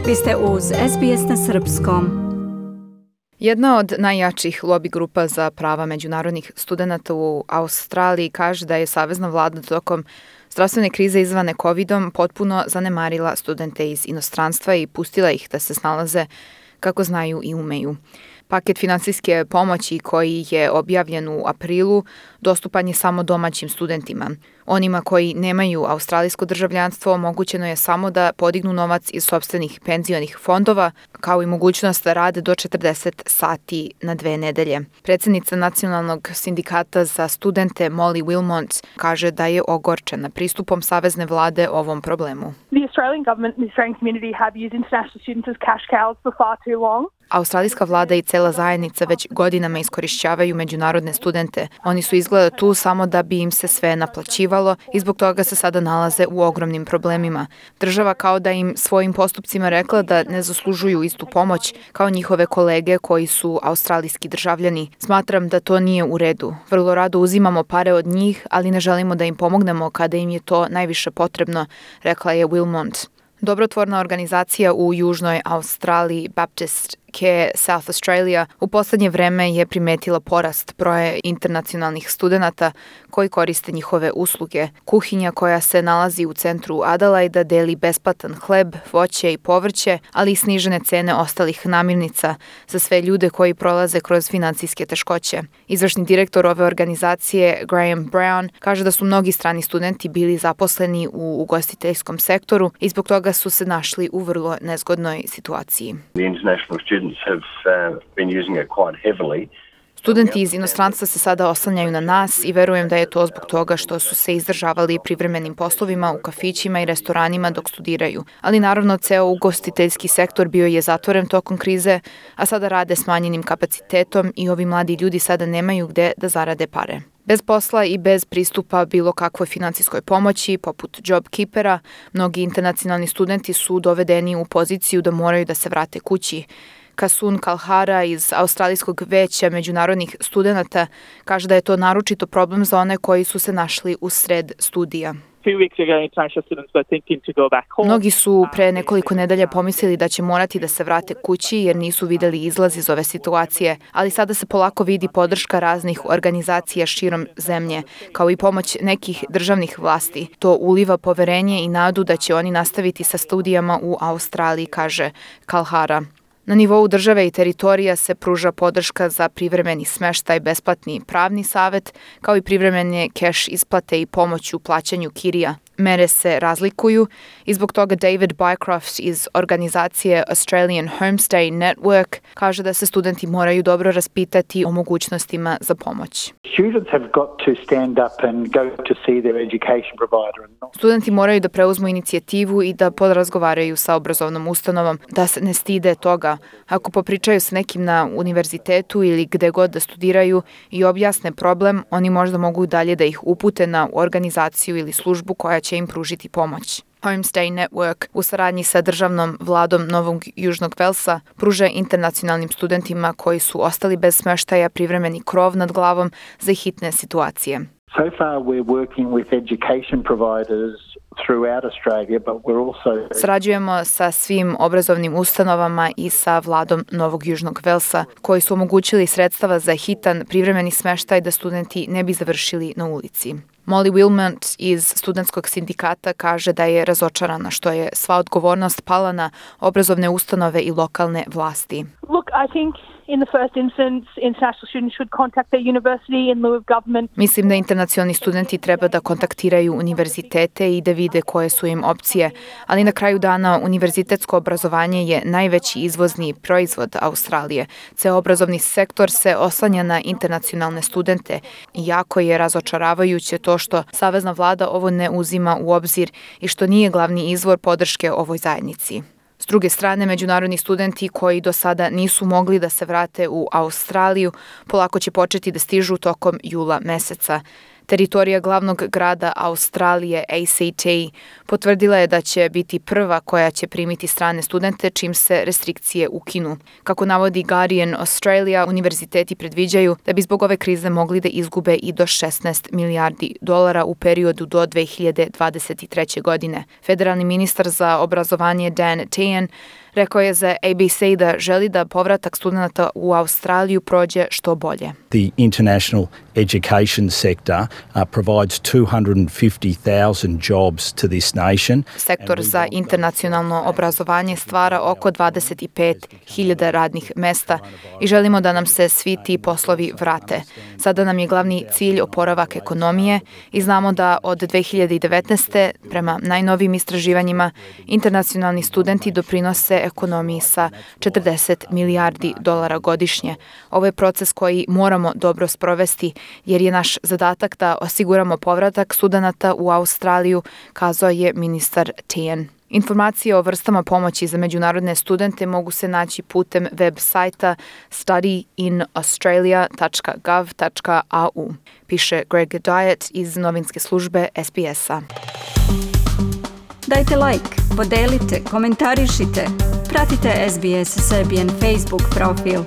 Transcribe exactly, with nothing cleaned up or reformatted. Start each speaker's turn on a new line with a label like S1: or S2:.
S1: Vi ste uz S B S na srpskom.
S2: Jedna od najjačih lobi grupa za prava međunarodnih studenata u Australiji kaže da je savezna vlada tokom zdravstvene krize izvane kovidom potpuno zanemarila studente iz inostranstva i pustila ih da se snalaze kako znaju i umeju. Paket finansijske pomoći koji je objavljen u aprilu dostupan je samo domaćim studentima. Onima koji nemaju australijsko državljanstvo omogućeno je samo da podignu novac iz sopstvenih penzionih fondova, kao i mogućnost da rade do četrdeset sati na dve nedelje. Predsednica Nacionalnog sindikata za studente Molly Wilmot kaže da je ogorčena pristupom savezne vlade ovom problemu.
S3: The Australian government and the Australian community have used international students as cash cows for far too long.
S2: Australijska vlada i cela zajednica već godinama iskorišćavaju međunarodne studente. Oni su izgleda tu samo da bi im se sve naplaćivalo i zbog toga se sada nalaze u ogromnim problemima. Država kao da im svojim postupcima rekla da ne zaslužuju istu pomoć kao njihove kolege koji su australijski državljani. Smatram da to nije u redu. Vrlo rado uzimamo pare od njih, ali ne želimo da im pomognemo kada im je to najviše potrebno, rekla je Wilmot. Dobrotvorna organizacija u Južnoj Australiji, Baptist Care South Australia, u poslednje vreme je primetila porast broja internacionalnih studenata koji koriste njihove usluge. Kuhinja koja se nalazi u centru Adelaida deli besplatan hleb, voće i povrće, ali i snižene cene ostalih namirnica za sve ljude koji prolaze kroz finansijske teškoće. Izvršni direktor ove organizacije, Graham Brown, kaže da su mnogi strani studenti bili zaposleni u ugostiteljskom sektoru i zbog toga su se našli u vrlo nezgodnoj situaciji. Studenti iz inostranstva se sada oslanjaju na nas i verujem da je to zbog toga što su se izdržavali privremenim poslovima u kafićima i restoranima dok studiraju. Ali naravno, ceo ugostiteljski sektor bio je zatvoren tokom krize, a sada rade smanjenim kapacitetom i ovi mladi ljudi sada nemaju gde da zarade pare. Bez posla i bez pristupa bilo kakvoj finansijskoj pomoći, poput JobKeepera, mnogi internacionalni studenti su dovedeni u poziciju da moraju da se vrate kući. Kasun Kalhara iz Australijskog veća međunarodnih studenata kaže da je to naročito problem za one koji su se našli u sred studija. Mnogi su pre nekoliko nedelja pomislili da će morati da se vrate kući jer nisu videli izlaz iz ove situacije, ali sada se polako vidi podrška raznih organizacija širom zemlje, kao i pomoć nekih državnih vlasti. To uliva poverenje i nadu da će oni nastaviti sa studijama u Australiji, kaže Kalhara. Na nivou države i teritorija se pruža podrška za privremeni smeštaj, besplatni pravni savet, kao i privremene keš isplate i pomoć u plaćanju kirija. Mere se razlikuju i zbog toga David Bycroft iz organizacije Australian Homestay Network kaže da se studenti moraju dobro raspitati o mogućnostima za pomoć. Studenti moraju da preuzmu inicijativu i da podrazgovaraju sa obrazovnom ustanovom, da se ne stide toga. Ako popričaju sa nekim na univerzitetu ili gde god da studiraju i objasne problem, oni možda mogu dalje da ih upute na organizaciju ili službu koja će im pružiti pomoć. Homestay Network u saradnji sa državnom vladom Novog Južnog Velsa pruža internacionalnim studentima koji su ostali bez smeštaja privremeni krov nad glavom za hitne situacije.
S4: So far we're working with education providers throughout Australia, but we're also...
S2: Sarađujemo sa svim obrazovnim ustanovama i sa vladom Novog Južnog Velsa, koji su omogućili sredstava za hitan privremeni smeštaj da studenti ne bi završili na ulici. Molly Wilmot iz studentskog sindikata kaže da je razočarana što je sva odgovornost pala na obrazovne ustanove i lokalne vlasti.
S3: Look, I think in the first instance, international students should contact their university in lieu of government.
S2: Mislim da internacionalni studenti treba da kontaktiraju univerzitete i da vide koje su im opcije, ali na kraju dana univerzitetsko obrazovanje je najveći izvozni proizvod Australije. Ceo obrazovni sektor se oslanja na internacionalne studente i jako je razočaravajuće to što savezna vlada ovo ne uzima u obzir i što nije glavni izvor podrške ovoj zajednici. S druge strane, međunarodni studenti koji do sada nisu mogli da se vrate u Australiju polako će početi da stižu tokom jula meseca. Teritorija glavnog grada Australije, A C T, potvrdila je da će biti prva koja će primiti strane studente čim se restrikcije ukinu. Kako navodi Guardian Australia, univerziteti predviđaju da bi zbog ove krize mogli da izgube i do šesnaest milijardi dolara u periodu do dve hiljade dvadeset treće. godine. Federalni ministar za obrazovanje Dan Tehan Rekao je za A B C da želi da povratak studenata u Australiju prođe što bolje.
S5: The international education sector uh, provides two hundred fifty thousand jobs to this nation.
S2: Sektor za internacionalno obrazovanje stvara oko dvadeset pet hiljada radnih mesta i želimo da nam se svi ti poslovi vrate. Sada nam je glavni cilj oporavak ekonomije i znamo da od dve hiljade devetnaeste. prema najnovijim istraživanjima internacionalni studenti doprinose ekonomiji sa četrdeset milijardi dolara godišnje. Ovo je proces koji moramo dobro sprovesti jer je naš zadatak da osiguramo povratak studenata u Australiju, kazao je ministar Tehan. Informacije o vrstama pomoći za međunarodne studente mogu se naći putem web sajta study in australia dot gov dot a u, piše Greg Diet iz novinske službe S B S-a.
S1: Dajte like, podelite, komentarišite, pratite S B S Serbian Facebook profil.